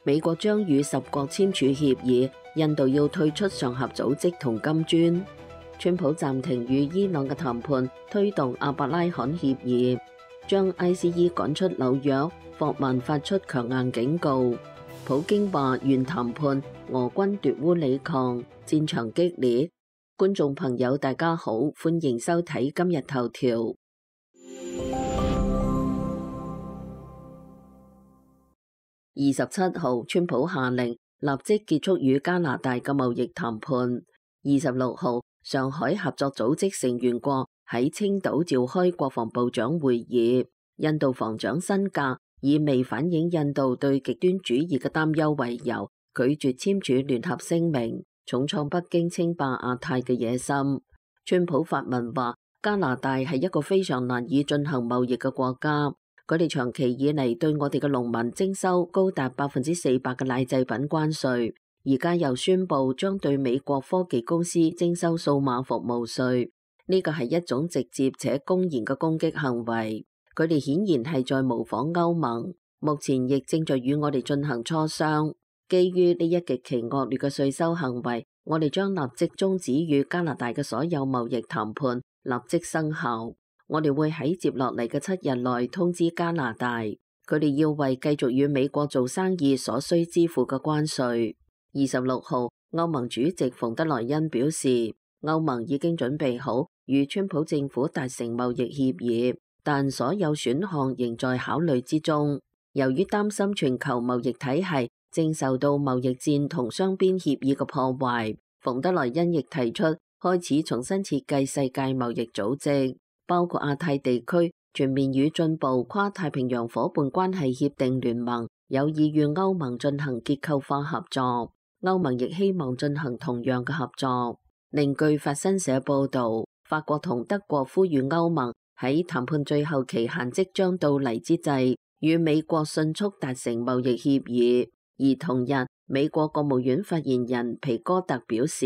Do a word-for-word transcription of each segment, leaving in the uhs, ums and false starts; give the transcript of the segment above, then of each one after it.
美國將與十國簽署協議，印度要退出上合組織同金磚。川普暫停與伊朗嘅談判，推動阿伯拉罕協議，將 I C E 趕出紐約。霍曼發出強硬警告。普京話願談判，俄軍奪烏里抗，戰場激烈。觀眾朋友大家好，歡迎收睇今日頭條。二十七號，川普下令立即結束與加拿大嘅貿易談判。二十六號，上海合作組織成員國喺青島召開國防部長會議，印度防長辛格以未反映印度對極端主義嘅擔憂為由，拒絕簽署聯合聲明，重創北京稱霸亞太嘅野心。川普發文話，加拿大係一個非常難以進行貿易嘅國家，佢哋長期以嚟對我哋嘅農民徵收高達百分之四百嘅奶製品關稅，而家又宣布將對美國科技公司徵收數碼服務稅，呢個係一種直接且公然嘅攻擊行為。佢哋顯然係在模仿歐盟，目前亦正在與我哋進行磋商。基於呢一極其惡劣嘅稅收行為，我哋將立即終止與加拿大嘅所有貿易談判，立即生效。我哋會喺接落嚟嘅七日內通知加拿大，佢哋要為繼續與美國做生意所需支付嘅關稅。二十六號，歐盟主席馮德萊恩表示，歐盟已經準備好與川普政府達成貿易協議，但所有選項仍在考慮之中。由於擔心全球貿易體系正受到貿易戰同雙邊協議嘅破壞，馮德萊恩亦提出開始重新設計世界貿易組織，包括亞太地區全面與進步跨太平洋夥伴關係協定聯盟有意與歐盟進行結構化合作，歐盟亦希望進行同樣嘅合作。另據法新社報導，法國同德國呼籲歐盟喺談判最後期限即將到嚟之際，與美國迅速達成貿易協議。而同日，美國國務院發言人皮哥特表示，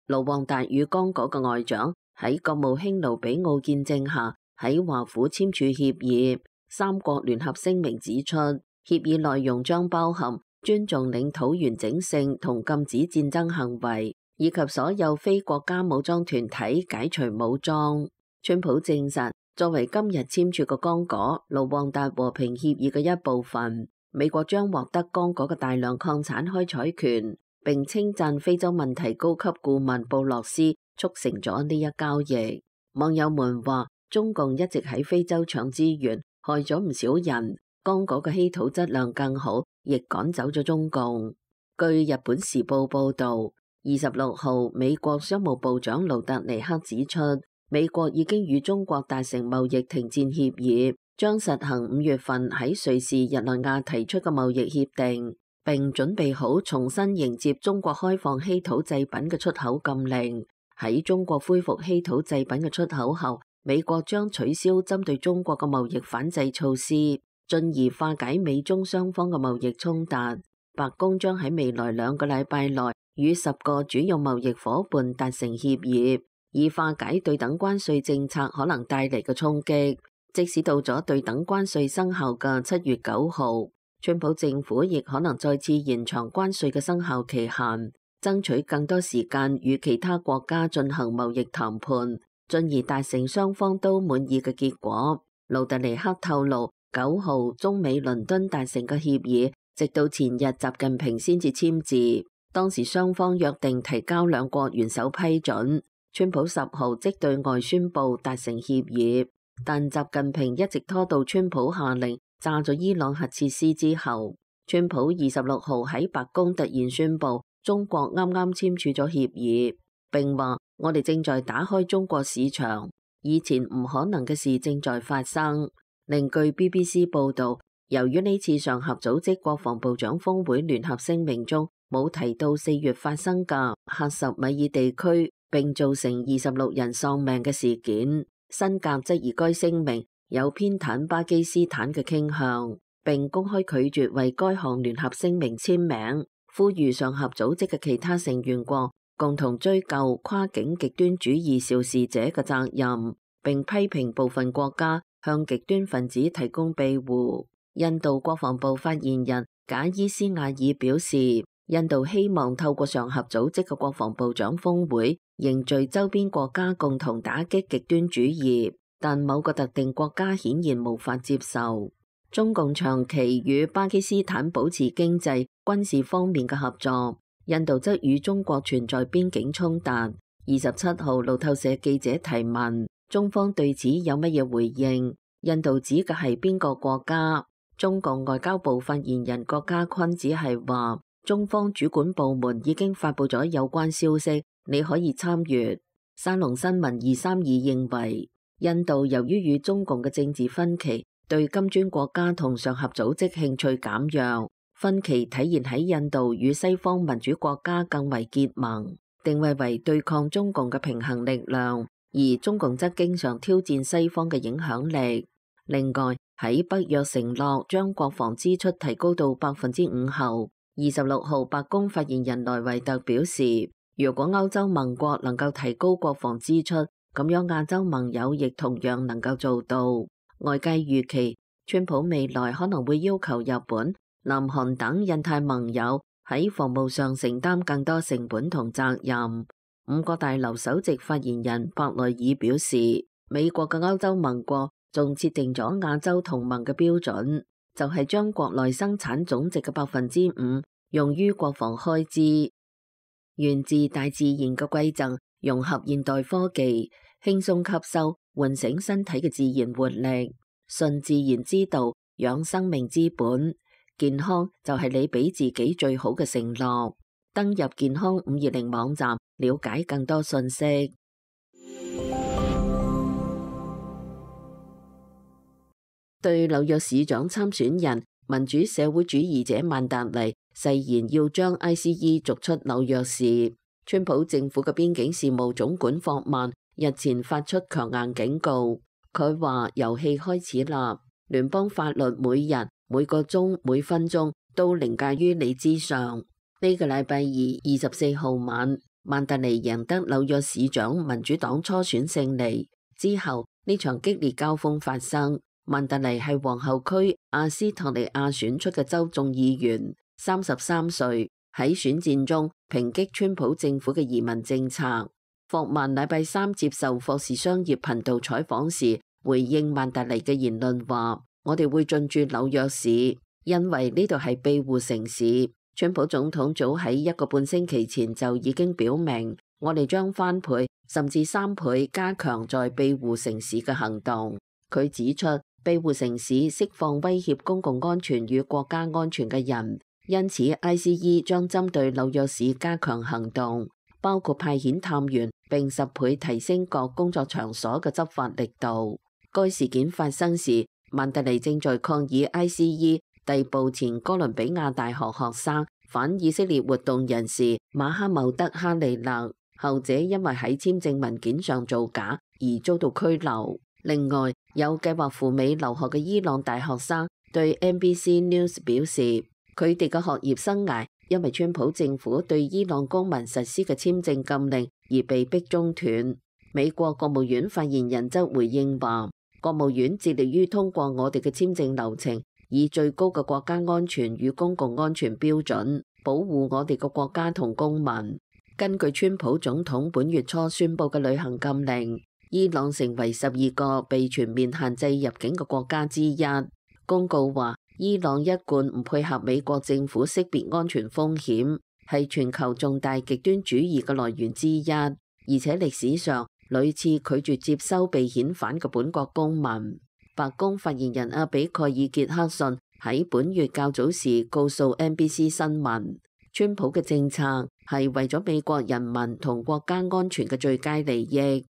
盧旺達與剛果嘅外長喺國務卿盧比奧見證下喺華府簽署協議。三國聯合聲明指出，協議內容將包含尊重領土完整性同禁止戰爭行為，以及所有非國家武裝團體解除武裝。川普證實，作為今日簽署嘅剛果盧旺達和平協議嘅一部分，美國將獲得剛果嘅大量礦產開採權，並稱讚非洲問題高級顧問布洛斯促成咗呢一交易。網友們話，中共一直喺非洲搶資源，害咗唔少人。剛果嘅稀土質量更好，亦趕走咗中共。據日本時報報導，二十六號美國商務部長盧特尼克指出，美國已經與中國達成貿易停戰協議，將實行五月份喺瑞士日內瓦提出嘅貿易協定，並準備好重新迎接中國開放稀土製品嘅出口禁令。喺中國恢復稀土製品嘅出口後，美國將取消針對中國嘅貿易反制措施，進而化解美中雙方嘅貿易衝突。白宮將喺未來兩個禮拜內與十個主要貿易夥伴達成協議，以化解對等關稅政策可能帶嚟嘅衝擊。即使到咗對等關稅生效嘅七月九號，川普政府亦可能再次延長關稅嘅生效期限，爭取更多時間與其他國家進行貿易談判，進而達成雙方都滿意嘅結果。盧特尼克透露，九號中美倫敦達成嘅協議，直到前日習近平先至簽字，當時雙方約定提交兩國元首批准。川普十號即對外宣布達成協議，但習近平一直拖到川普下令炸咗伊朗核設施之後。川普二十六號喺白宮突然宣布，中國啱啱簽署咗協議，並話我哋正在打開中國市場，以前唔可能嘅事正在發生。另據 B B C 報導，由於呢次上合組織國防部長峰會聯合聲明中冇提到四月發生嘅喀什米爾地區並造成二十六人喪命嘅事件，辛格質疑該聲明有偏袒巴基斯坦嘅傾向，並公開拒絕為該項聯合聲明簽名，呼籲上合組織嘅其他成員國共同追究跨境極端主義肇事者嘅責任，並批評部分國家向極端分子提供庇護。印度國防部發言人賈伊斯亞爾表示，印度希望透過上合組織嘅國防部長峰會，凝聚周邊國家共同打擊極端主義，但某個特定國家顯然無法接受。中共長期與巴基斯坦保持經濟、軍事方面嘅合作，印度則與中國存在邊境衝突。二十七號，路透社記者提問，中方對此有乜嘢回應？印度指嘅係邊個國家？中共外交部發言人郭家坤只係話，中方主管部門已經發佈咗有關消息，你可以參閱。沙龍新聞二三二認為，印度由於與中共嘅政治分歧，對金磚國家同上合組織興趣減弱，分歧體現喺印度與西方民主國家更為結盟，定位為對抗中共嘅平衡力量，而中共則經常挑戰西方嘅影響力。另外，喺北約承諾將國防支出提高到百分之五後，二十六號白宮發言人萊維特表示，如果歐洲盟國能夠提高國防支出，咁樣亞洲盟友亦同樣能夠做到。外界預期，川普未來可能會要求日本、南韓等印太盟友喺防務上承擔更多成本同責任。五角大樓首席發言人伯內爾表示，美國嘅歐洲盟國仲設定咗亞洲同盟嘅標準，就係將國內生產總值嘅百分之五用於國防開支。源自大自然嘅饋贈，融合現代科技，輕鬆吸收，喚醒身體嘅自然活力。順自然之道，養生命之本。健康就係你俾自己最好嘅承諾。登入健康五二零網站，了解更多信息。對紐約市長參選人民主社會主義者曼達尼誓言要將 I C E 逐出紐約市，川普政府嘅邊境事務總管霍曼日前發出強硬警告。佢話遊戲開始啦，聯邦法律每日、每個鐘、每分鐘都凌駕於你之上。呢個禮拜二二十四號晚，曼達尼贏得紐約市長民主黨初選勝利之後，呢場激烈交鋒發生。曼達尼係皇后區阿斯托尼亞選出嘅州眾議員，三十三歲，喺選戰中抨擊川普政府嘅移民政策。霍曼禮拜三接受霍士商業頻道採訪時，回應曼達尼嘅言論話：我哋會進駐紐約市，因為呢度係庇護城市。川普總統早喺一個半星期前就已經表明，我哋將翻倍甚至三倍加強在庇護城市嘅行動。佢指出，庇護城市釋放威脅公共安全與國家安全嘅人，因此 I C E 將針對紐約市加強行動，包括派遣探員並十倍提升各工作場所嘅執法力度。該事件發生時，曼達尼正在抗議 I C E 逮捕前哥倫比亞大學學生反以色列活動人士馬哈茂德哈利勒，後者因為喺簽證文件上造假而遭到拘留。另外，有計劃赴美留學嘅伊朗大學生對 N B C News 表示，佢哋嘅學業生涯因為川普政府對伊朗公民實施嘅簽證禁令而被迫中斷。美國國務院發言人則回應話，國務院致力於通過我哋嘅簽證流程，以最高嘅國家安全與公共安全標準，保護我哋嘅國家同公民。根據川普總統本月初宣布嘅旅行禁令，伊朗成為十二個被全面限制入境嘅國家之一。公告話，伊朗一貫唔配合美國政府識別安全風險，係全球重大極端主義嘅來源之一，而且歷史上屢次拒絕接收被遣返嘅本國公民。白宮發言人阿比蓋爾傑克遜喺本月較早時告訴 N B C 新聞，川普嘅政策係為咗美國人民同國家安全嘅最佳利益。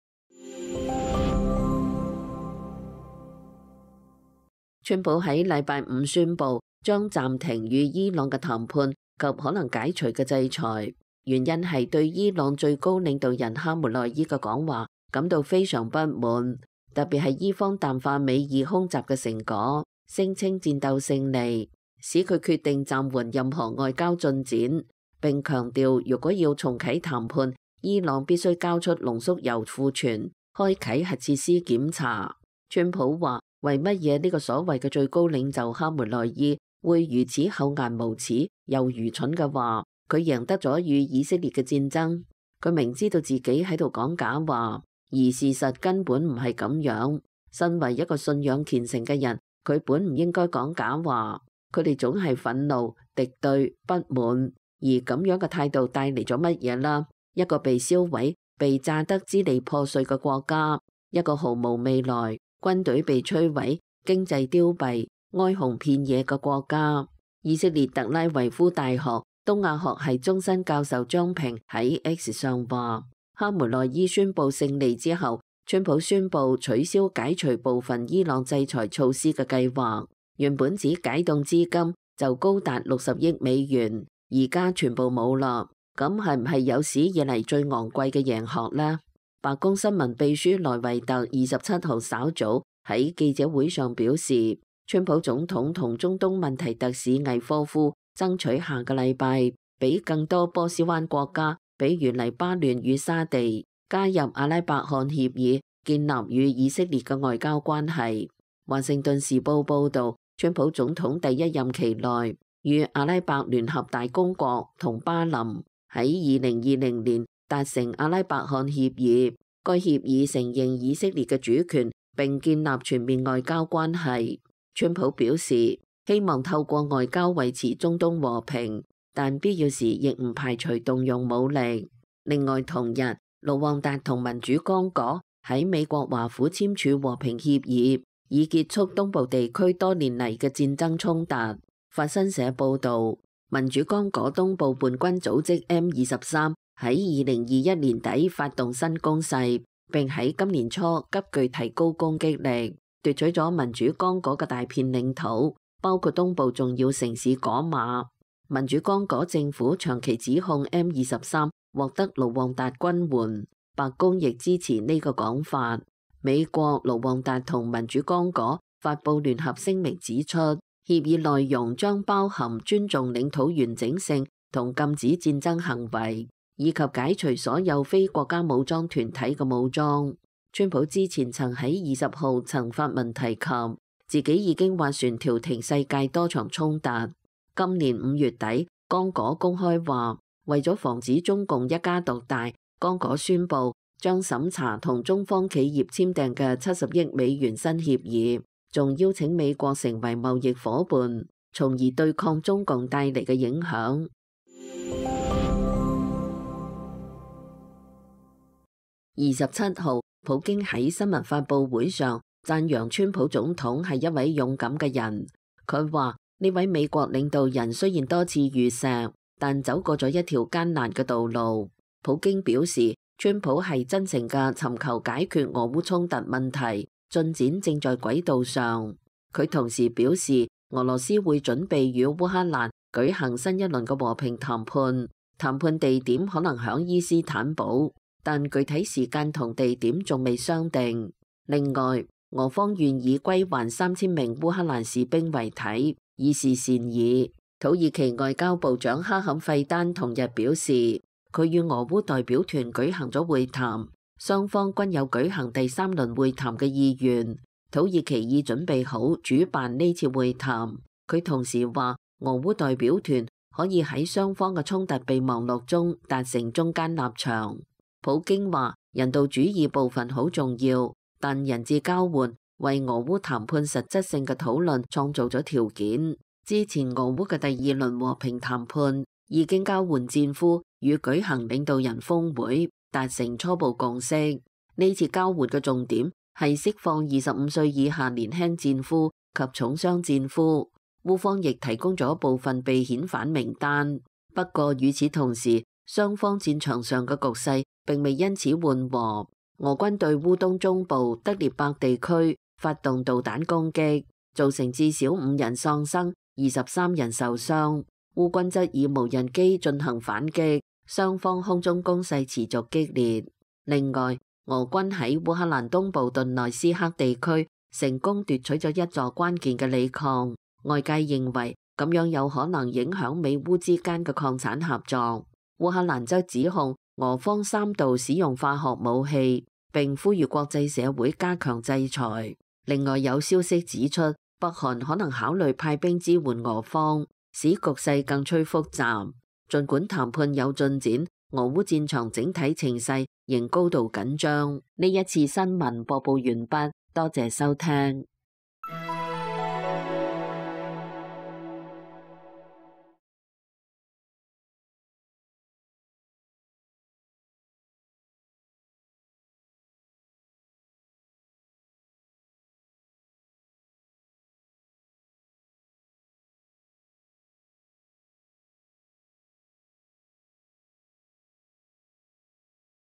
川普喺禮拜五宣布將暫停與伊朗嘅談判及可能解除嘅制裁，原因係對伊朗最高領導人哈梅內伊嘅講話感到非常不滿，特別係伊方淡化美伊空襲嘅成果，聲稱戰鬥勝利，使佢決定暫緩任何外交進展，並強調如果要重啟談判，伊朗必須交出濃縮鈾庫存，開啟核設施檢查。川普話，為乜嘢呢個所謂嘅最高領袖哈梅內伊會如此厚顏無恥又愚蠢嘅話，佢贏得咗與以色列嘅戰爭。佢明知道自己喺度講假話，而事實根本唔係咁樣。身為一個信仰虔誠嘅人，佢本唔應該講假話。佢哋總係憤怒、敵對、不滿，而咁樣嘅態度帶嚟咗乜嘢啦？一個被燒毀、被炸得支離破碎嘅國家，一個毫無未來、軍隊被摧毀、經濟凋敝、哀鴻遍野嘅國家。以色列特拉維夫大學東亞學系終身教授張平喺 X 上話，哈梅內伊宣布勝利之後，川普宣布取消解除部分伊朗制裁措施嘅計劃。原本只解凍資金就高達六十億美元，而家全部冇啦。咁係唔係有史以嚟最昂貴嘅贏學呢？白宮新聞秘書萊維特二十七號稍早喺記者會上表示，川普總統同中東問題特使魏科夫爭取下個禮拜俾更多波斯灣國家，比如黎巴嫩與沙地加入阿拉伯汗協議，建立與以色列嘅外交關係。華盛頓時報報道，川普總統第一任期內與阿拉伯聯合大公國同巴林喺二零二零年達成阿拉伯汗協議，該協議承認以色列嘅主權並建立全面外交關係。川普表示希望透過外交維持中東和平，但必要時亦唔排除動用武力。另外同日，盧旺達同民主剛果喺美國華府簽署和平協議，以結束東部地區多年嚟嘅戰爭衝突。法新社報導，民主剛果東部叛軍組織 M 二十三喺二零二一年底發動新攻勢，並喺今年初急劇提高攻擊力，奪取咗民主剛果嘅大片領土，包括東部重要城市果馬。民主剛果政府長期指控 M 二十三獲得盧旺達軍援，白宮亦支持呢個講法。美國、盧旺達同民主剛果發布聯合聲明指出，協議內容將包含尊重領土完整性同禁止戰爭行為，以及解除所有非國家武裝團體嘅武裝。川普之前曾喺二十號曾發文提及，自己已經斡旋調停世界多場衝突。今年五月底，剛果公開話，為咗防止中共一家獨大，剛果宣布將審查同中方企業簽訂嘅七十億美元新協議，仲邀請美國成為貿易夥伴，從而對抗中共帶嚟嘅影響。二十七號，普京喺新聞發佈會上讚揚川普總統係一位勇敢嘅人。佢話呢位美國領導人雖然多次遇石，但走過咗一條艱難嘅道路。普京表示，川普係真誠嘅尋求解決俄烏衝突問題，進展正在軌道上。佢同時表示，俄羅斯會準備與烏克蘭舉行新一輪嘅和平談判，談判地點可能響伊斯坦堡，但具體時間同地點仲未商定。另外，俄方願意歸還三千名烏克蘭士兵遺體，以示善意。土耳其外交部長哈坎費丹同日表示，佢與俄烏代表團舉行咗會談，雙方均有舉行第三輪會談嘅意願。土耳其已準備好主辦呢次會談。佢同時話，俄烏代表團可以喺雙方嘅衝突備忘錄中達成中間立場。普京話，人道主義部分好重要，但人質交換為俄烏談判實質性嘅討論創造咗條件。之前俄烏嘅第二輪和平談判已經交換戰俘與舉行領導人峰會，達成初步共識。呢次交換嘅重點係釋放二十五歲以下年輕戰俘及重傷戰俘。烏方亦提供咗部分被遣返名單。不過與此同時，雙方戰場上嘅局勢並未因此緩和。俄軍對烏東中部德列伯地區發動導彈攻擊，造成至少五人喪生，二十三人受傷。烏軍則以無人機進行反擊，雙方空中攻勢持續激烈。另外，俄軍喺烏克蘭東部頓內斯克地區成功奪取咗一座關鍵嘅鋰礦，外界認為咁樣有可能影響美烏之間嘅礦產合作。烏克蘭則指控俄方三度使用化學武器，並呼籲國際社會加強制裁。另外有消息指出，北韓可能考慮派兵支援俄方，使局勢更趨複雜。儘管談判有進展，俄烏戰場整體情勢仍高度緊張。呢一次新聞播報完畢，多謝收聽。